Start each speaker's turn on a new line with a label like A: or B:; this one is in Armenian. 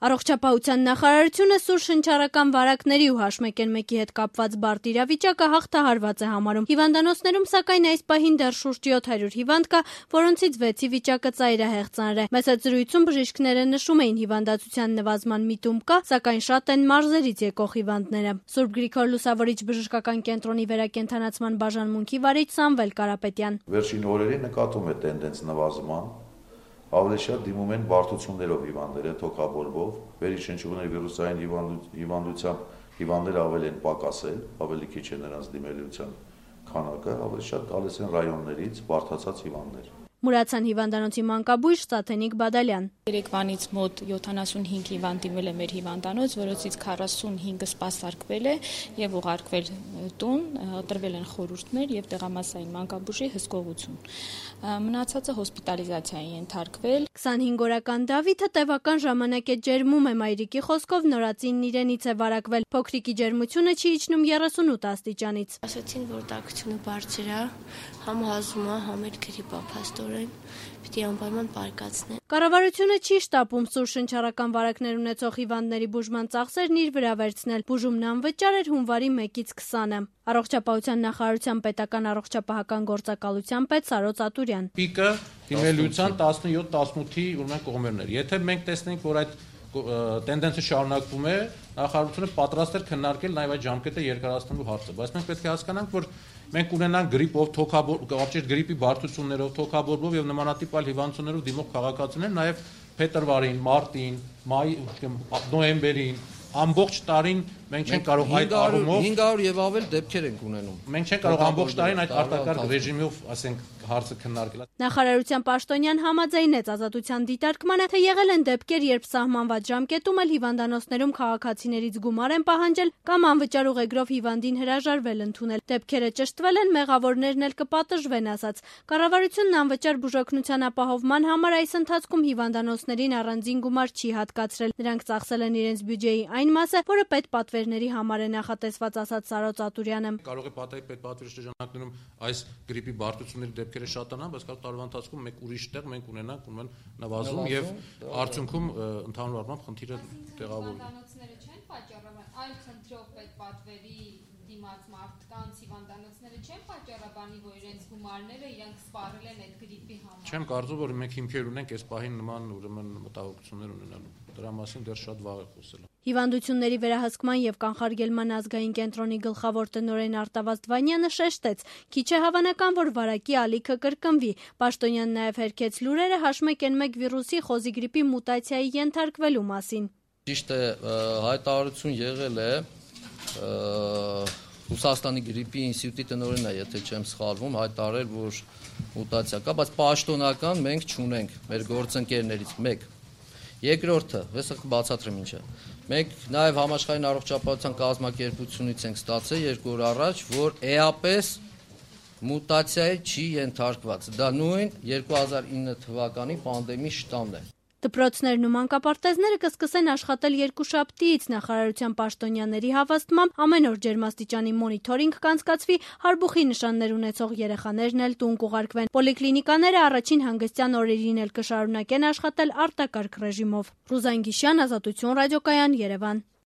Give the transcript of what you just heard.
A: Առողջապահության նախարարությունը սուր շնչառական վարակների ու H1N1-ի հետ կապված բարդ իրավիճակը հաղթահարված է համարում։ Հիվանդանոցներում, սակայն, այս պահին դեռ շուրջ 700 հիվանդ կա, որոնցից 6-ի վիճակը ծայրահեղ ծանր է։ Մեծ զրույցում բժիշկները նշում էին, հիվանդացության նվազման միտում կա, սակայն շատ են մարզերից եկող հիվանդները։ Սուրբ Գրիգոր Լուսավորիչ բժշկական կենտրոնի վերակենդանացման բաժանմունքի վարիչ Սամվել Կարապետյան:
B: Վերջին օրերին նկատում է տենդենց նվազման, ավելի շատ դիմում են բարդություններով հիվանդները, թոքաբորբով, վերիշնչյունների վիրուսային հիվանդությամբ հիվանդները ավելի են պակասել, ավելի քիչ է նրանց դիմելիության քանակը, ավելի շատ գալիս են ռայոններից բարդացած հիվանդներ։
A: Մուրացան հիվանդանոցի մանկաբույժ Սաթենիկ Բադալյան:
C: Երեկվանից մոտ 75 հիվանդ դիմել է մեր հիվանդանոց, որոնցից 45-ը սպասարկվել է եւ ուղարկվել տուն, տրվել են խորհուրդներ եւ տեղամասային մանկաբույժի հսկողություն։ Մնացածը հոսպիտալիզացիայի ենթարկվել։
A: 25-օրական Դավիթը տևական ժամանակ է ջերմում է, մայրիկի խոսքով նորածինն իրենից է վարակվել։ Փոքրիկի ջերմությունը չի իջնում 38 աստիճանից։
D: Ասացին, որ տաքությունը բարձր է, համ հազում է, համ էլ գրիպ է, փաստորեն պիտի անպայման պարկացնեն։
A: Կառավարությունը չի շտապում սուր շնչառական վարակներ ունեցող հիվանդների բուժման ծախսերն իր վրա վերցնել։ Բուժումն անվճար էր հունվարի 1-ից 20-ը։ Առողջապահության նախարարության պետական առողջապահական գործակալության պետ Սարոց Ատուրյան:
E: Պիկը դիմելիության 17-18-ի ուրեմն կողմերներ։ Եթե մենք տեսնենք, որ այդ տենդենսը շարունակվում է, նախարարությունը պատրաստ է քննարկել նաև այդ ժամկետը երկարացնելու հարցը, բայց մենք պետք է հասկանանք, որ մենք ունենանք գրիպով, գրիպի բարդություններով, թոքաբորբով եւ նմանատիպ այլ հիվանդություններով դիմող քաղաքացիներ նաև փետրվարին, մարտին, նոյեմբերին, ամբողջ տարին մենք չենք կարող այդ առումով
F: 500 եւ ավել դեպքեր ենք ունենում։
E: Մենք չենք կարող ամբողջ տարին այդ արտակարգ ռեժիմով, ասենք, հարցը քննարկել։
A: Նախարարության պաշտոնյան համաձայնեց ազատության դիտարկմանը, թե եղել են դեպքեր, երբ սահմանված ժամկետում էլ հիվանդանոցներում քաղաքացիներից գումար են պահանջել կամ անվճար ուղեգրով հիվանդին հրաժարվել ընդունել։ Դեպքերը ճշտվել են, մեղավորներն էլ կպատժվեն, ասաց։ Կառավարությունն անվճար բուժօգնության ապահովման համար այս ընթացքում հիվանդանոցներին առանձին գումար չի հատկացրել։ Նրանք ծախսել են իրենց բյուջեի այն մասը, որը պետպատվերների համար է նախատեսված, ասաց Սարոց Ատուրյանը։
E: Կարող է պետպատվերի շրջանակներում այս գրիպի բարդությունների դեպքերը շատանան, բայց կարող տարվա ընթացքում մեկ ուրիշ տեղ մենք ունենանք ուրեմն նվազում եւ արդյունքում ընդհանուր առմամբ խնդիրը տեղավորվում։
G: Հիվանդանոցները չեն պատճառաբան, այլ խնդրով պետպատվերի դիմաց մարդկանց հիվանդանոցները չեն պատճառաբանի, որ իրենց գումարները իրենք սպառել են այդ գրիպի համար։
E: Չեմ կարծում, որ մենք հիմքեր ունենք այս պահին նման ուրեմն մտահոգություններ ունենալու։ Դրա մասին դեռ շատ վաղ է խոսել։
A: Հիվանդությունների վերահսկման եւ կանխարգելման ազգային կենտրոնի գլխավոր տնօրեն Արտավազդ Վանյանը շեշտեց. քիչ է հավանական, որ վարակի ալիքը կրկնվի։ Պաշտոնյան նաեւ հերքեց լուրերը H1N1 վիրուսի խոզի գրիպի մուտացիայի ենթարկվելու մասին։
F: Ճիշտ է, հայտարարություն եղել է Ռուսաստանի գրիպի ինստիտուտի տնօրենն է, եթե չեմ սխալվում, հայտարարել, որ մուտացիա կա, բայց պաշտոնական մենք չունենք մեր գործընկերներից մեկ։ Երկրորդը, հեսա կբացատրեմ ինչը։ Մենք նաև համաշխարհային առողջապահության կազմակերպությունից ենք ստացել 2 օր առաջ, որ էապես մուտացիայի չի ենթարկված։ Դա նույն 2009 թվականի պանդեմի շտամն է։
A: Դպրոցներն ու մանկապարտեզները կսկսեն աշխատել երկուշաբթիից։ Նախարարության պաշտոնյաների հավաստմամբ ամեն օր ջերմաստիճանի մոնիթորինգ կանցկացվի, հարբուխի նշաններ ունեցող երեխաներն էլ տուն կուղարկվեն։ Պոլիկլինիկաները առաջին հանգստյան օրերին էլ կշարունակեն աշխատել արտակարգ ռեժիմով։ Ռուզան Գիշյան, Ազատություն ռադիոկայան, Երևան։